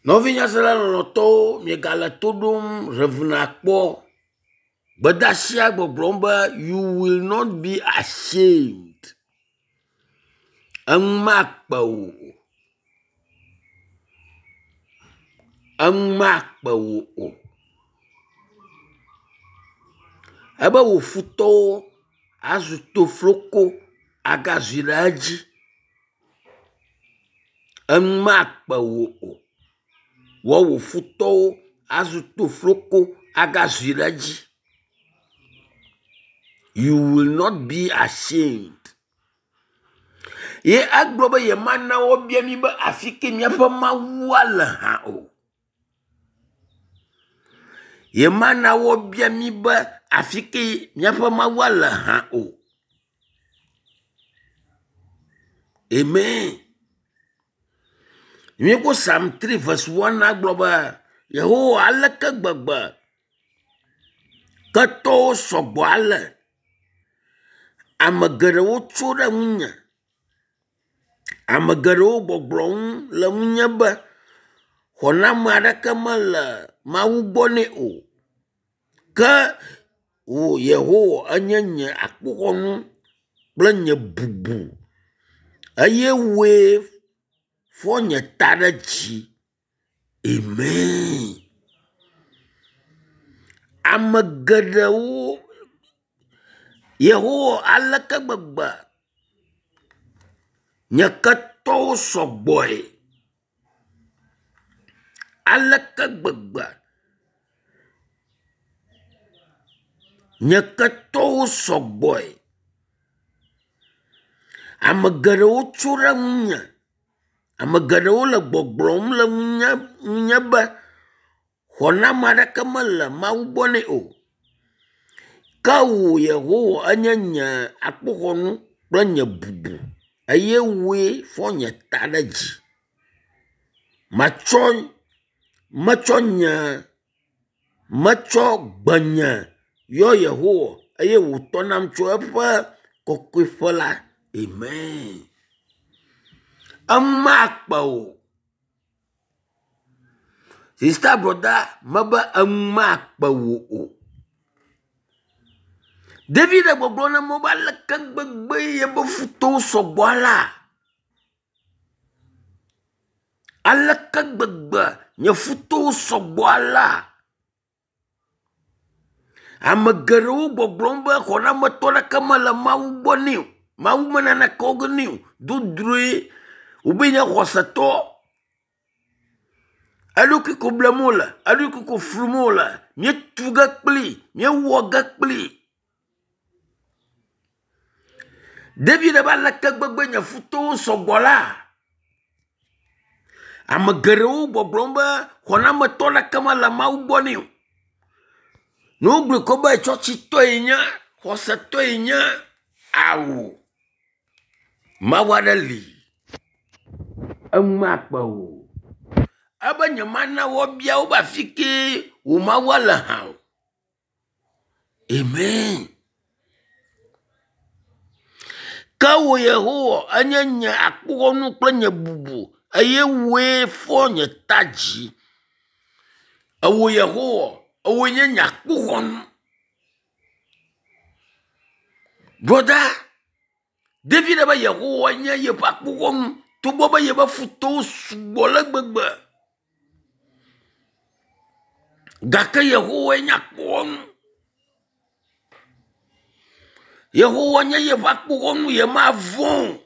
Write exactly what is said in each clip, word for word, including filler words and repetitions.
Nɔvinyasela lɔlɔ̃tɔwo, miegale to ɖom Rev. Akpɔ. Gbedeasia gbɔgblɔm be you will not be ashamed. Eŋu makpe wò o. Eŋu makpe wò o. Ebe wò futɔwo azu tofloko agazi ɖe edzi. Eŋu makpe wò o. Wɔ wò futɔwo azu tofloko agazi ɖe edzi. You will not be ashamed. Ye egblɔ be yemana woabia mí be afi ke míaƒe Mawua le hã o. Yemana woabia mí be afi ke míaƒe Mawua le hã o. Amen. Míekpɔ Psalm three verse one gblɔ be Yehowa aleke gbegbe ketɔwo sɔgbɔ ale. Ame geɖewo tso ɖe ŋunye. Ame geɖewo gbɔgblɔm le ŋunye be xɔname aɖeke mele Mawu gbɔ nɛ o. Ke wò Yehowa enye nye akpoxɔnu kple nye bubu eye wòe fɔ nye ta ɖe dzi. Amen. Ame geɖewo Yehowa aleke gbegbe nye ketɔwo sɔgbɔe. Aleke gbegbe nye ketɔwo sɔgbɔe. Ame geɖewo tso ɖe ŋunye. Ame geɖewo le gbɔgblɔm le ŋunye ŋunye be xɔname aɖeke mele Mawu gbɔ nɛ o. Ke wò Yehowa enye nye akpoxɔnu kple nye bubu eye wòe fɔ nye ta ɖe dzi. Matsɔ metsɔ nye metsɔ gbenye yɔ Yehowa eye wòtɔ nam tso eƒe kɔkɔeƒe la. Amen. Emakpe o. Sista brɔda mebe eŋu makpe wò o. David le gbɔgblɔm na Mawu be aleke gbegbe yeƒe futɔwo sɔgbɔ alea? Aleke gbegbe nye futɔwo sɔgbɔ alea? Ame geɖewo gbɔgblɔm be xɔnametɔ aɖeke mele Mawu gbɔ nɛ o. Mawu me naneke wɔ ge nɛ o. Dodroe wobe nye xɔsetɔ. Eɖokui ko blem wole, eɖokui ko flum wole. Míetu ge kpli, míewɔ ge kpli. David be aleke gbegbe nye futɔwo sɔgbɔ la? Ame geɖewo gbɔgblɔm be xɔnametɔ aɖeke mele Mawu gbɔ nɛ o. Ne wogblɔe ko be tsɔtsitɔe nye, xɔsetɔe nye, ao. Mawu aɖe li. Eŋu makpe o. Ebe nyemana woabia wo be afi ke wò Mawua le hã o. Amen. Ke wò Yehowa enye nye akpoxɔnu kple nye bubu eye wòe fɔ nye ta dzi. Ewò Yehowa, ewòe nye nye akpoxɔnu. Brɔda, David be Yehowa nye yeƒe akpoxɔnu togbɔ be yeƒe futɔwo sugbɔ le gbegbe. Gake Yehowae nye akpoxɔnu. Yehowa nye yeƒe akpoxɔnu yemavɔ̃ o.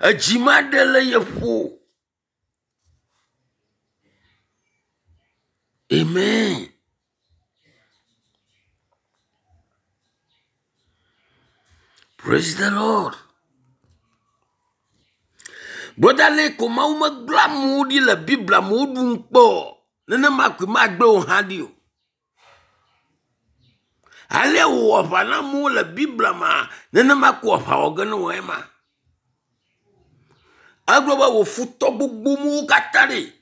Edzi maɖe le ye ƒo o. Amen. Praise the Lord. Brɔda le ko Mawu megblẽ amewo ɖi le Biblia me woɖu ŋukpe o. Nenema koe magblẽ wò hã ɖi o. Ale wòwɔ aʋa na amewo le Biblia mea, nenema ko aʋa wɔ ge ne wò ema. Egblɔ be wò futɔ gbogbo katã ɖe,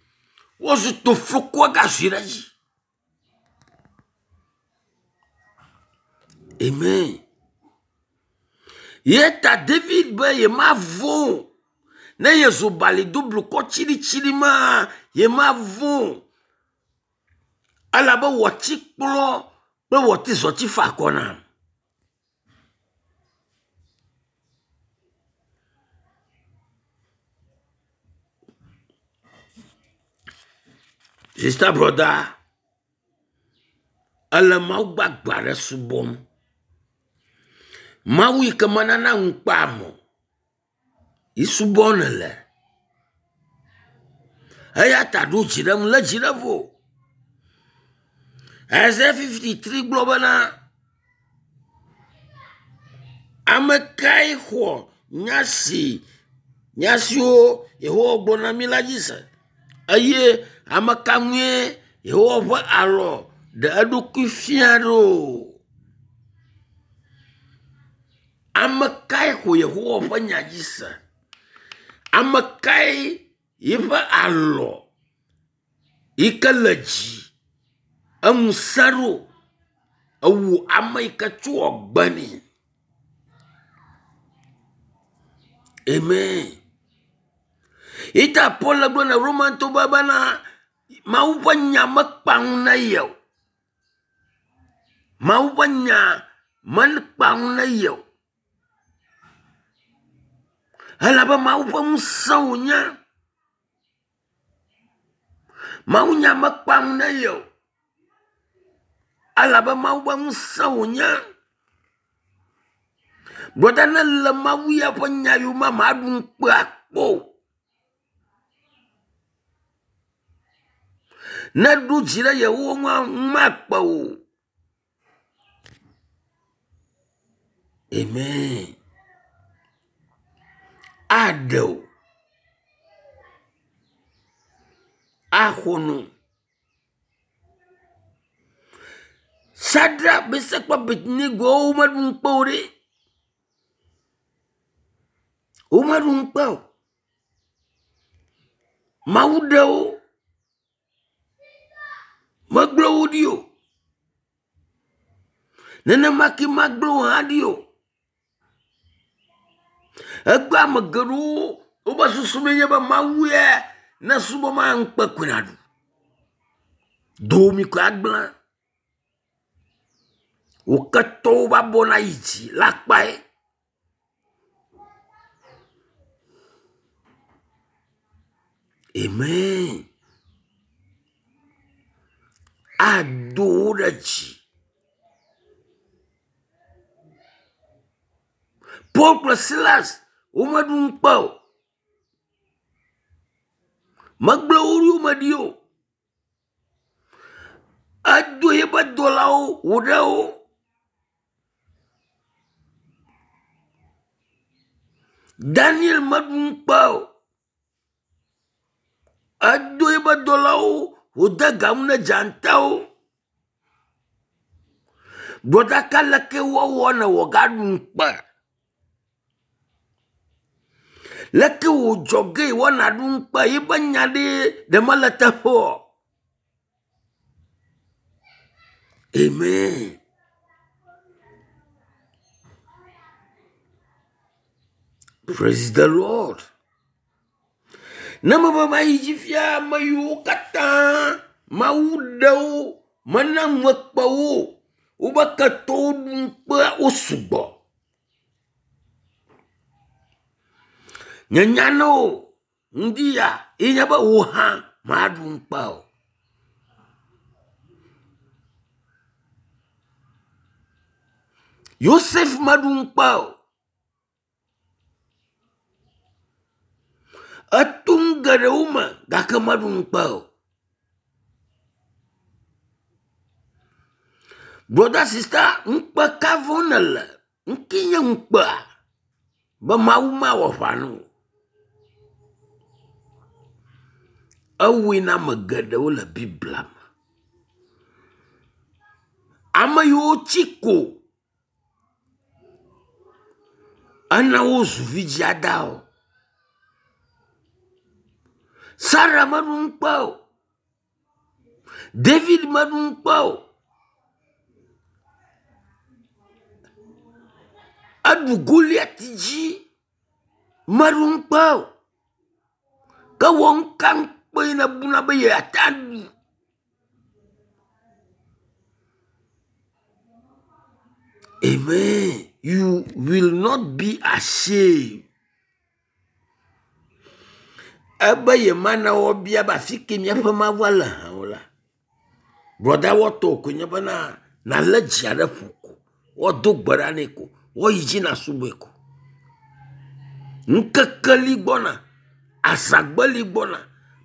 wozu tofloko agazi ɖe edzi. Amen. Ye ta David be yemavɔ̃ o. Ne yezu bali do blukɔ tsiɖitsiɖi ma, yemavɔ̃ o. Elabe wɔtikplɔ kple wɔtizɔti fa akɔ nam. Sista brɔda, ele Mawu gbagbe aɖe subɔm. Mawu yi ke menana ŋukpe ame o yi subɔm nèle. Eya ta ɖo dzi ɖe eŋu, lé dzi ɖe ƒo. Isaiah fifty-three gblɔ bena, ame kae xɔ nya si nya siwo Yehowa gblɔ na mí la dzi se eye ame ka ŋue Yehowa ƒe alɔ ɖe eɖokui fia ɖo? Ame kae xɔ Yehowa ƒe nya dzi se? Ame kae yiƒe alɔ yi ke le dzi eŋu sẽ ɖo ewu ame yi ke tso agbe nɛ? Amen. Yi ta Paul le gblɔ na Romantɔwo be bena Mawu ƒe nya mekpa ŋu na ye o. Mawu ƒe nya mekpa ŋu na ye o. Elabe Mawu ƒe ŋusẽ wònye. Mawu nya mekpa ŋu na ye o. Elabe Mawu ƒe ŋusẽ wònye. Brɔda ne le Mawu ya ƒe nya yome maɖu ŋukpe akpɔ o. Ne ɖo dzi ɖe Yehowa ŋua, ŋu makpe o. Amen. Aɖe o. Axɔ no. Sadrak, Mesak kple Abednego womeɖu ŋukpe o ɖe. Womeɖu ŋukpe o. Mawu ɖe wo. Megblẽ wo ɖi o. Nenema ke magblẽ wò hã ɖi o. Egbe ame geɖewo wobe susu menye be Mawu ye ne subɔ ma ŋukpe koe nàɖu. Domi koe agblẽ. Wò ketɔwo va bɔ na yi dzi la kpae. Amen. Ado wo ɖe dzi. Paul kple Silas womeɖu ŋukpe o. Megblẽ wo yome ɖi o. Edo eƒe dɔlawo wòɖe wo. Daniel meɖu ŋukpe o. Edo eƒe dɔlawo wòde ga nu ne dzatawo. Brɔda ka leke woawɔ ne wòagaɖu ŋukpe? Leke wòdzɔ ge woana ɖu ŋukpe yiƒe nya ɖe ɖe mele teƒe o? Amen. Praise the Lord. Ne mebe mayi dzi fia ame yiwo katã Mawu ɖe wo mena ŋu ekpe wo wobe ketɔwo ɖu ŋukpea wo sugbɔ. Nye nya na wo ŋdi ya ye nye be wò hã maɖu ŋukpe o. Yosef meɖu ŋukpe o. Eto nu geɖewo me gake meɖu ŋukpe o. Brɔda sista, ŋukpe ka vɔ̃m nèle? Ŋke nye ŋukpea? Be Mawu mawɔ aʋa na wò. Ewɔe na ame geɖewo le Biblia me. Ame yiwo tsi ko ena wozu vidziadawo. Sara meɖu ŋukpe o. David meɖu ŋukpe o. Eɖu Goliat dzi meɖu ŋukpe o. Ke wɔ ŋka ŋukpe yi nèbuna be yeate aɖu. Amen. You will not be ashamed. Ebe yemana woabia be afi ke míaƒe Mawua le hã o la. Brɔda wɔtɔ koe nye bena nalé dzia ɖe ƒo ko, woado gbe ɖa nɛ ko, woayi dzi nasubɔe ko. Ŋkeke li gbɔna, azãgbe li gbɔna,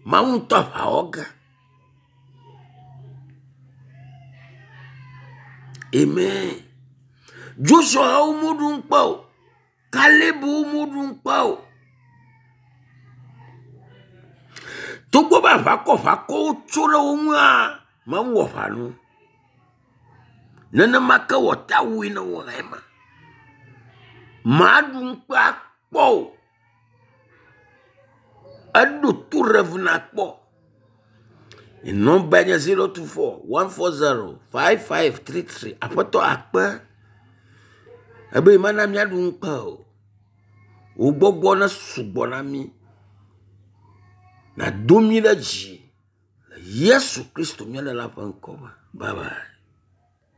Mawu ŋutɔ aʋa wɔ ge. Amen. Joshua wo meɖu ŋukpe o. Kaleb wo meɖu ŋukpe o. Togbɔ be aʋakɔ ʋakɔwo tso ɖe wo ŋua, Mawu wɔ aʋa na wo. Nenema ke wòate awɔe na wò hã ema. Màɖu ŋukpe akpɔ o. Eɖo to Rev nakpɔ. Nɔmba nye zero two four one four zero five five three three. Aƒetɔ akpe ebe mana míaɖu ŋukpe o. Wò gbɔgbɔ ne sugbɔ na mí. Nàdo mí ɖe dzi le Yesu Kristo mía Ɖela ƒe ŋkɔ me. Bye bye.